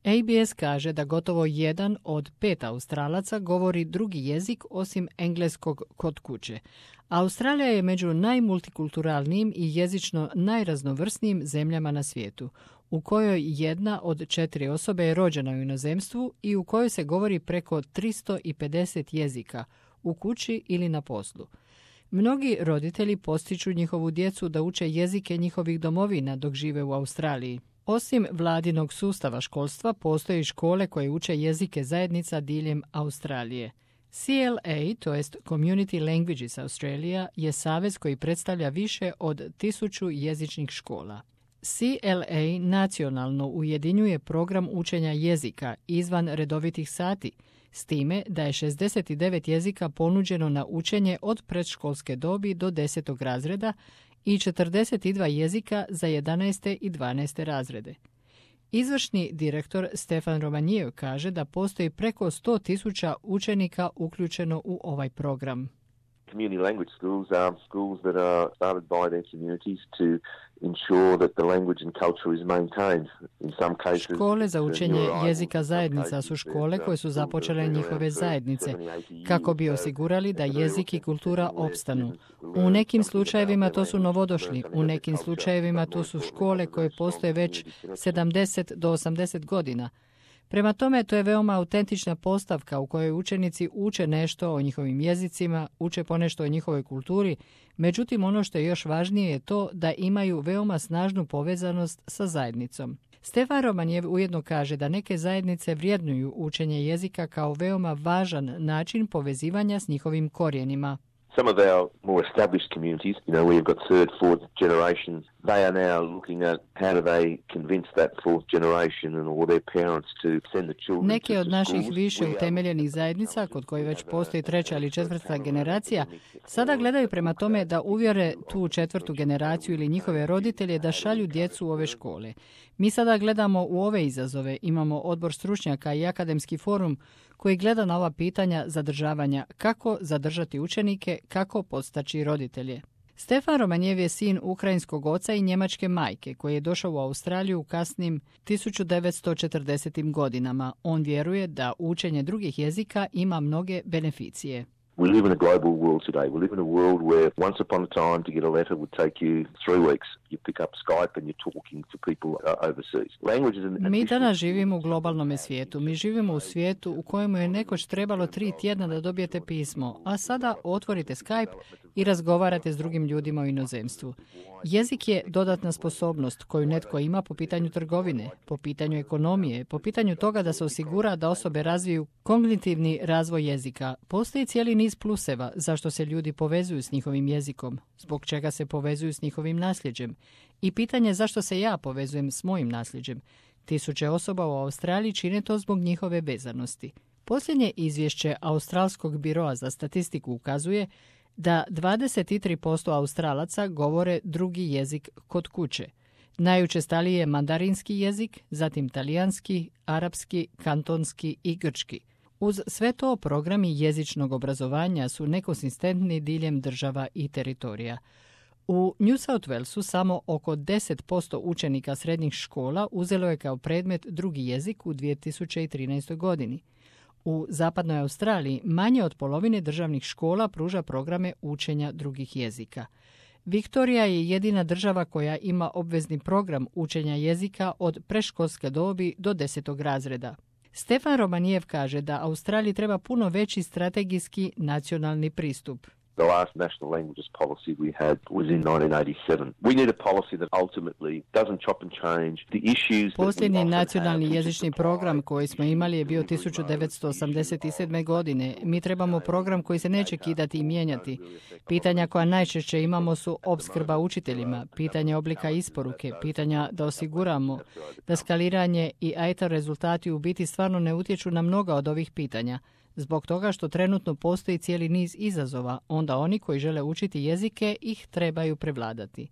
ABS kaže da gotovo 1 od 5 Australaca govori drugi jezik osim engleskog kod kuće. Australija je među najmultikulturalnijim i jezično najraznovrsnijim zemljama na svijetu, u kojoj 1 od 4 osobe je rođena u inozemstvu i u kojoj se govori preko 350 jezika, u kući ili na poslu. Mnogi roditelji postiču njihovu djecu da uče jezike njihovih domovina dok žive u Australiji. Osim vladinog sustava školstva, postoje škole koje uče jezike zajednica diljem Australije. CLA, to jest Community Languages Australia, je savez koji predstavlja više od 1000 jezičnih škola. CLA nacionalno ujedinjuje program učenja jezika izvan redovitih sati, s time da je 69 jezika ponuđeno na učenje od predškolske dobi do 10. razreda i 42 jezika za 11. i 12. razrede. Izvršni direktor Stefan Romanjev kaže da postoji preko 100.000 učenika uključeno u ovaj program. Community language schools are schools that are started by their communities to ensure that the language and culture is maintained. In some cases, škole za učenje jezika zajednica su škole koje su započele njihove zajednice kako bi osigurali da jezik i kultura opstanu. U nekim slučajevima to su novodošli, u nekim slučajevima to su škole koje postoje već 70 do 80 godina. Prema tome, to je veoma autentična postavka u kojoj učenici uče nešto o njihovim jezicima, uče ponešto o njihovoj kulturi, međutim ono što je još važnije je to da imaju veoma snažnu povezanost sa zajednicom. Stefan Romanjev ujedno kaže da neke zajednice vrjednuju učenje jezika kao veoma važan način povezivanja s njihovim korijenima. Some of our more established communities, we've got third, fourth generation, they are now looking at how do they convince that fourth generation and all their parents to send the children. Neki od naših više utemeljenih zajednica, kod koji već postoji 3. ili 4. generacija, sada gledaju prema tome da uvjere tu 4. generaciju ili njihove roditelje da šalju djecu u ove škole. Mi sada gledamo u ove izazove, imamo odbor stručnjaka i akademski forum koji gleda na ova pitanja zadržavanja, kako zadržati učenike, kako podstaći roditelje. Stefan Romanjev je sin ukrajinskog oca i njemačke majke koji je došao u Australiju u kasnim 1940. godinama. On vjeruje da učenje drugih jezika ima mnoge beneficije. We live in a global world today. We live in a world where once upon a time to get a letter would take you 3 weeks. You pick up Skype and you're talking to people overseas. Language is an Mi danas živimo u globalnom svijetu. Mi živimo u svijetu u kojemu je nekoć trebalo 3 tjedna da dobijete pismo, a sada otvorite Skype i razgovarate s drugim ljudima u inozemstvu. Jezik je dodatna sposobnost koju netko ima po pitanju trgovine, po pitanju ekonomije, po pitanju toga da se osigura da osobe razviju kognitivni razvoj jezika. Postoji cijeli niz pluseva zašto se ljudi povezuju s njihovim jezikom, zbog čega se povezuju s njihovim nasljeđem. I pitanje zašto se ja povezujem s mojim nasljeđem. 1000 osoba u Australiji čine to zbog njihove vezanosti. Posljednje izvješće Australskog biroa za statistiku ukazuje da 23% Australaca govore drugi jezik kod kuće. Najučestaliji je mandarinski jezik, zatim talijanski, arapski, kantonski i grčki. Uz sve to programi jezičnog obrazovanja su nekonsistentni diljem država i teritorija. U New South Walesu samo oko 10% učenika srednjih škola uzelo je kao predmet drugi jezik u 2013. godini. U zapadnoj Australiji manje od polovine državnih škola pruža programe učenja drugih jezika. Viktorija je jedina država koja ima obvezni program učenja jezika od predškolske dobi do 10. razreda. Stefan Romanjev kaže da Australiji treba puno veći strategijski nacionalni pristup. The last national languages policy we had was in 1987. We need a policy that ultimately doesn't chop and change the issues. Posljednji nacionalni jezični program koji smo imali je bio 1987. godine. Mi trebamo program koji se neće kidati i mijenjati. Pitanja koja najčešće imamo su opskrba učiteljima, pitanje oblika isporuke, pitanja da osiguramo da skaliranje i IT rezultati u biti stvarno ne utječu na mnoga od ovih pitanja. Zbog toga što trenutno postoji cijeli niz izazova, onda oni koji žele učiti jezike ih trebaju prevladati.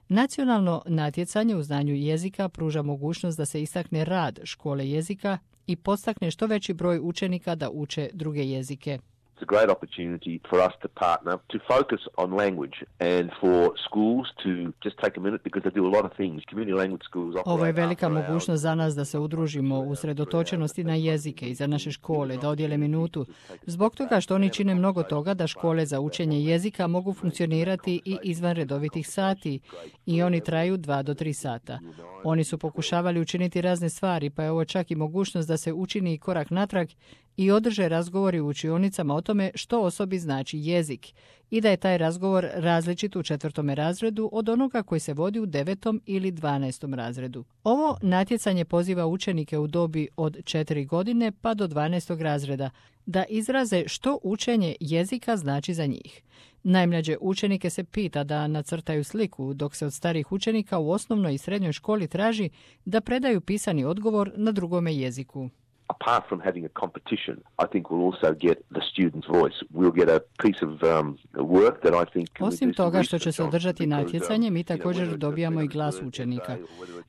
Nacionalno natjecanje u znanju jezika pruža mogućnost da se istakne rad škole jezika i podstakne što veći broj učenika da uče druge jezike. It's a great opportunity for us to partner, to focus on language and for schools to just take a minute because they do a lot of things. Community language schools operate. Ovo je velika mogućnost za nas da se udružimo u usredotočenosti na jezike i za naše škole, da odijele minutu. Zbog toga što oni čine mnogo toga da škole za učenje jezika mogu funkcionirati i izvan redovitih sati i oni traju 2 do 3 sata. Oni su pokušavali učiniti razne stvari, pa je ovo čak i mogućnost da se učini korak natrag i održe razgovori u učionicama o tome što osobi znači jezik i da je taj razgovor različit u 4. razredu od onoga koji se vodi u 9. ili 12. razredu. Ovo natjecanje poziva učenike u dobi od 4 godine pa do 12. razreda da izraze što učenje jezika znači za njih. Najmlađe učenike se pita da nacrtaju sliku, dok se od starih učenika u osnovnoj i srednjoj školi traži da predaju pisani odgovor na drugome jeziku. Apart from having a competition, I think we'll also get the student's voice. We'll get a piece of work that I think... Osim toga što će se održati natjecanje, mi također dobijamo i glas učenika.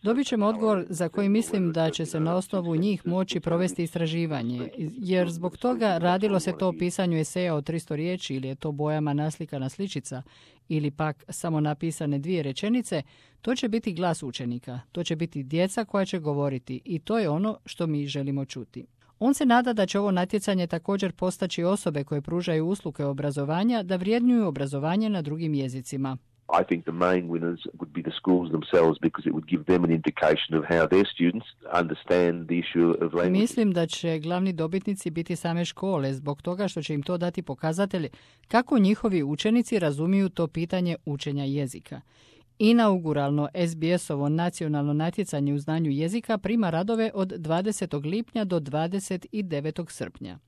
Dobit ćemo odgovor za koji mislim da će se na osnovu njih moći provesti istraživanje, jer zbog toga radilo se to o pisanju eseja od 300 riječi ili je to bojama naslikana sličica ili pak samo napisane 2 rečenice, to će biti glas učenika, to će biti djeca koja će govoriti i to je ono što mi želimo čuti. On se nada da će ovo natjecanje također postaći osobe koje pružaju usluge obrazovanja da vrjednuju obrazovanje na drugim jezicima. I think the main winners would be the schools themselves because it would give them an indication of how their students understand the issue of language. Mislim da će glavni dobitnici biti same škole zbog toga što će im to dati pokazatelj kako njihovi učenici razumiju to pitanje učenja jezika. Inauguralno SBS-ovo nacionalno natjecanje u znanju jezika prima radove od 20. lipnja do 29. srpnja.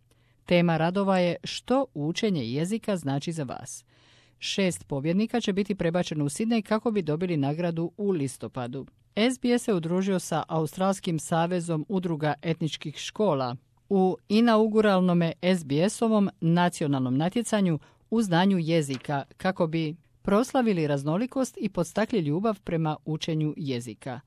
Tema radova je što učenje jezika znači za vas. 6 pobjednika će biti prebačeno u Sidney kako bi dobili nagradu u listopadu. SBS se udružio sa Australskim savezom udruga etničkih škola u inauguralnome SBS-ovom nacionalnom natjecanju u znanju jezika kako bi proslavili raznolikost i podstakli ljubav prema učenju jezika.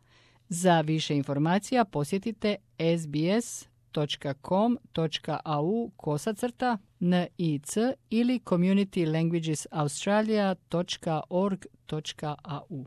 Za više informacija posjetite sbs.com.au/NIC ili communitylanguagesaustralia.org.au.